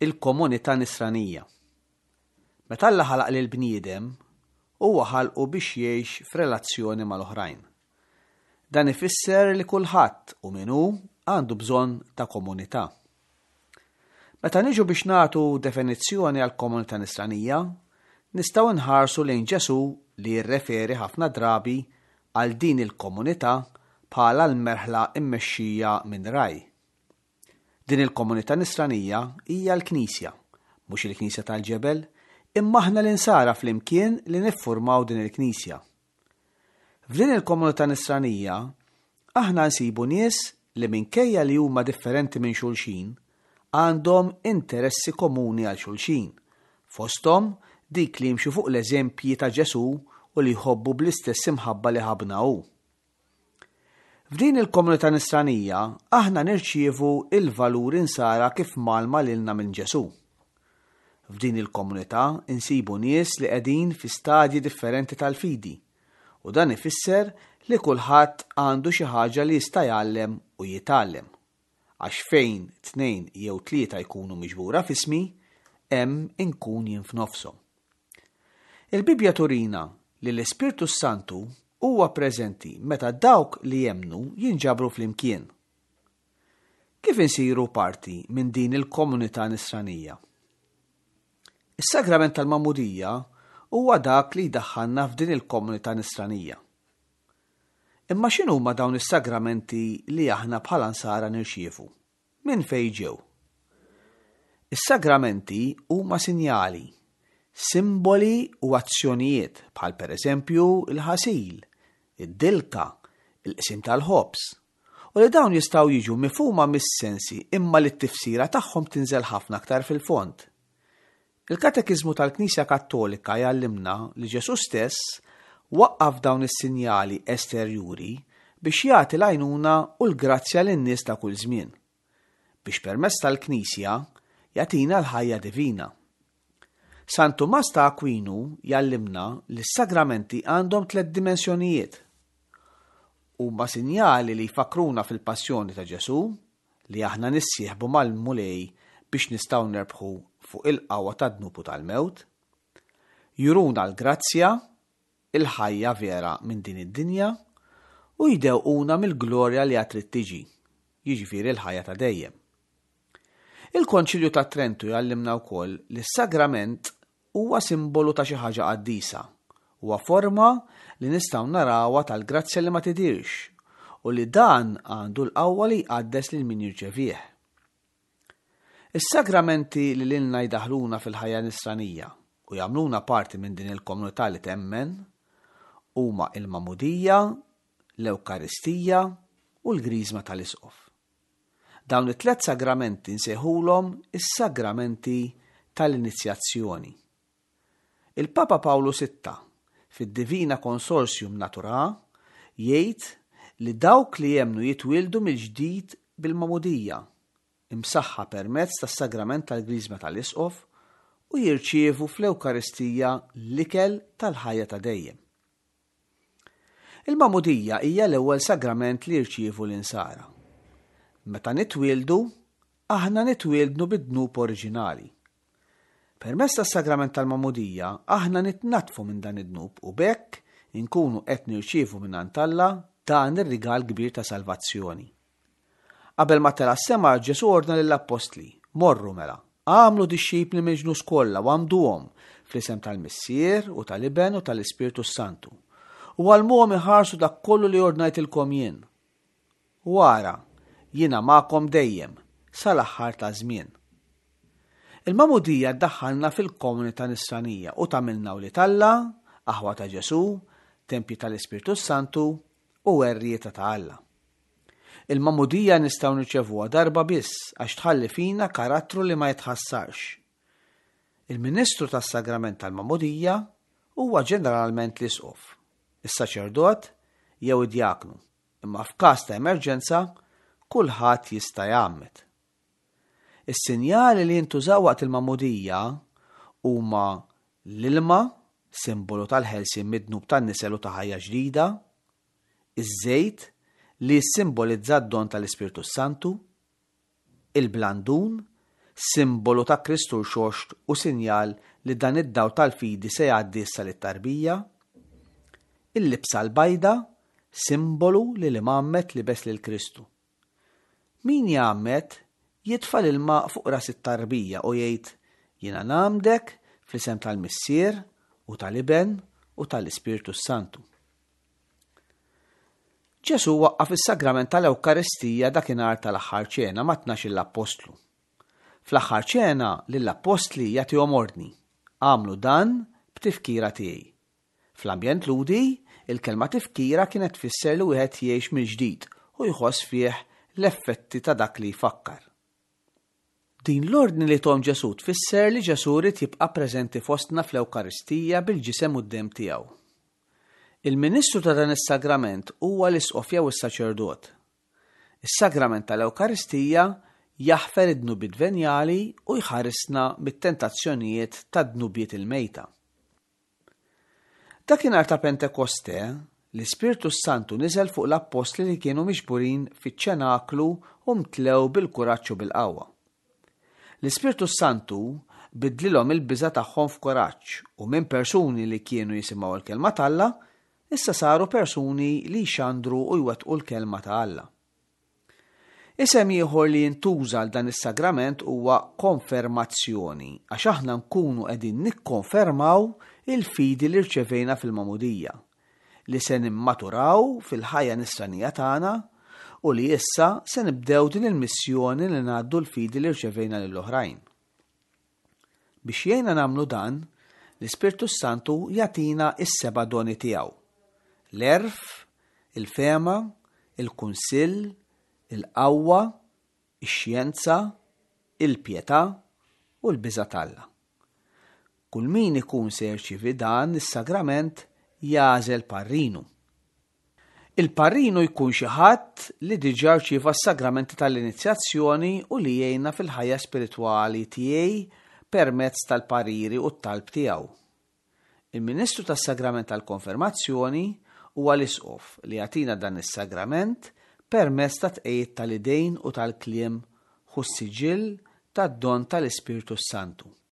Il-komunità nisranija. Meta Alla ħalaq lill-bniedem, huwa ħalqu biex jgħix f'relazzjoni mal-oħrajn. Dan ifisser li kulħadd u min hu għandu bżonn ta' komunità. Meta niġu biex nagħtu definizzjoni għall-komunità nisranija, nistgħu nħarsu lejn Ġesù li jirreferi ħafna drabi għal din il-komunità bħala l-merħla mmexxija minn ragħaj. Din il-komunità nisranija hija l-Knisja, mhux il-Knisja tal-ġebel, imma aħna l-insara flimkien li niffurmaw din il-Knisja. F'din il-komunità nisranija, aħna nsibu nies li minkejja li huma differenti minn xulxin, għandhom interessi komuni għal xulxin, fosthom dik li jimxu fuq l-eżempji ta' Ġesù u li jħobbu bl-istess imħabba li ħabbna hu. F'din il-komunità nisranija aħna nirċievu l-valuri nsara kif mgħallma lilna minn Ġesù. F'din il-komunità nsibu nies li qegħdin fi stadji differenti tal-fidi u dan ifisser li kulħadd għandu xi ħaġa li jista' jgħallem u jitgħallem. Għax fejn tnejn jew tlieta jkunu miġbura f'ismi, hemm inkun jien f'nofshom. Il-Bibbja turina li l-Ispirtu s-Santu huwa preżenti meta dawk li jemmnu jinġabru flimkien. Kif insiru parti minn din il-komunità nisranija? Is-sagrament tal-Magħmudija huwa dak li jdaħħalna f'din il-komunità nisranija. Imma x'inhuma dawn is-sagramenti li aħna bħala nsara nirċievu? Minn fejn ġew? Is-sagramenti huma sinjali, simboli u azzjonijiet bħal pereżempju l-ħasil, id-dilka, il-qsim tal-ħobż, u li dawn jistgħu jiġu mifhuma mis-sensi imma li t-tifsira tagħhom tinżel ħafna aktar fil-fond. Il-Katekiżmu tal-Knisja Kattolika jgħallimna li Ġesù stess waqqaf dawn is-sinjali esterjuri biex jagħti l-għajnuna u l-grazzja lin-nies ta' kull żmien, biex permezz tal-Knisja jagħtina l-ħajja divina. San Tumas ta' Akwinu jgħallimna li s-sagramenti għandhom tlett dimensjonijiet. Huma sinjali li jfakkruna fil-passjoni ta' Ġesù, li aħna nissieħbu mal-Mulej biex nistgħu nerbħu fuq il-qawwa tad-dnub u tal-mewt, juruna l-grazzja, il-ħajja vera minn din id-dinja, u jdewquna mill-glorja li għad trid tiġi, jiġifieri l-ħajja ta' dejjem. Il-Konċilju ta' Trentu jgħallimna wkoll li s-sagrament Huwa simbolu ta' xi ħaġa qaddisa. Huwa forma li nistgħu narawha tal-grazzja li ma tidhirx u li dan għandu l-qawwa li jqaddes lil min jirċevih. Is-sagramenti li lilna jdaħħluna fil-ħajja nisranija u jagħmluna parti minn din il-komunità li temmen huma il-Magħmudija, l-Ewkaristija u l-Griżma tal-Isqof. Dawn it-tlett sagramenti nsejħulhom is-sagramenti tal-inizjazzjoni. Il-Papa Pawlu Sitta, fid-Divina Consortium Naturae, jgħid li dawk li jemmnu jitwieldu mill-ġdid bil-magħmudija, imsaħħa permezz tas-sagrament tal-Griżma tal-Isqof u jirċievu fl-Ewkaristija l-ikel tal-ħajja ta' dejjem. Il-Magħmudija hija l-ewwel sagrament li jirċievu l-insara. Meta nitwieldu, aħna nitwieldnu bid-dnub oriġinali. Permezz tas-sagrament tal-Magħmudija, aħna nitnaddfu minn dan id-dnub u b'hekk inkunu qed nirċievu mingħand Alla dan ir-rigal kbir ta' salvazzjoni. Qabel ma tela' s-sema, Ġesù ordna lill-appostli, Morru mela, agħmlu dixxipli mill-ġnus kollha u għammduhom fl-isem tal-Missier u tal-Iben u tal-Ispirtu s-Santu, u għallmuhom iħarsu dak kollu li ordnajtilkom jien. U ara, jiena magħkom dejjem, sal-aħħar taż-żmien. Il-magħmudija ddaħħalna fil-komunità nisranija u tagħmilna wlied Alla, aħwa ta' Ġesù, tempji tal-Ispirtu s-Santu u werrieta ta' Alla. Il-magħmudija nistgħu nirċevuha darba biss għax tħalli fina karattru li ma jitħassarx. Il-ministru tas-sagrament tal-magħmudija huwa ġeneralment l-isqof, is-saċerdot jew id-djaknu, imma f'każ ta' emerġenza kulħadd jista' jgħammed. Is-sinjali li jintużaw waqt il-magħmudija huma l-ilma, simbolu tal-ħelsien mid-dnub tan-nisel u ta' ħajja ġdida, iż-żejt, li jissimbolizza d-don tal-Ispirtu s-Santu, il-blandun, simbolu ta' Kristu rxoxt u sinjal li dan id-dawl tal-fidi se jgħaddi issa lit-tarbija. Il-libsa l-bajda, simbolu li l-imgħammed libes lil Kristu. Min jgħammed jitfa' l-ilma fuq ras it-tarbija u jgħid, Jiena ngħammdek fl-isem tal-Missier u tal-Iben u tal-Ispirtu s-Santu. Ġesù waqqaf is-sagrament tal-Ewkaristija dakinhar tal-Aħħar Ċena ma' tnax-il appostlu. Fl-Aħħar Ċena lill-appostli jagħtihom ordni, Agħmlu dan b'tifkira tiegħi. Fl-ambjent Lhudi, il-kelma tifkira kienet tfisser li wieħed jgħix mill-ġdid u jħoss fih l-effetti ta' dak li jfakkar. Din l-ordni li thom Ġesù tfisser li Ġesù ried jibqa' preżenti fostna fl-Ewkaristija bil-ġisem u d-demm tiegħu. Il-ministru ta' dan is-sagrament huwa l-isqof jew is-saċerdot. Is-sagrament tal-Ewkaristija jaħfer id-dnubiet venjali u jħarisna mit-tentazzjonijiet tad-dnubiet il-mejta. Dakinhar ta' Pentekoste, l-Ispirtu s-Santu niżel fuq l-appostli li kienu miġburin fiċ-ċenaklu u mtlew bil-kuraġġ u bil-qawwa. L-Ispirtu s-Santu biddlilhom il-biża' tagħhom f'kuraġġ u minn persuni li kienu jisimgħu l-kelma t'Alla, issa saru persuni li jxandru u jwettqu l-kelma ta' Alla. Isem ieħor li jintuża għal dan is-sagrament huwa konfermazzjoni għax aħna nkunu qegħdin nikkonfermaw il-fidi li rċevejna fil-magħmudija, li se nimmaturaw fil-ħajja nisranija tagħna u li issa se nibdew din il-missjoni li ngħaddu l-fidi li rċevejna lill-oħrajn. Biex jgħinna nagħmlu dan, l-Ispirtu s-Santu jagħtina s-seba' doni tiegħu, l-għerf, il-fehma, il-kunsill, il-qawwa, ix-xjenza, il-pjetà u l-biża' t'Alla. Kull min ikun se jirċievi dan is-sagrament jagħżel parrinu. Il-parrinu jkun xi ħadd li diġà rċieva s-sagramenti tal-inizjazzjoni u li jgħinna fil-ħajja spiritwali tiegħi permezz tal-pariri u t-talb tiegħu. Il-ministru tas-sagrament tal-konfermazzjoni huwa l-isqof li jagħtina dan is-sagrament permezz tat-tqegħid tal-idejn u tal-kliem Ħu s-siġill tad-don tal-Ispirtu s-Santu.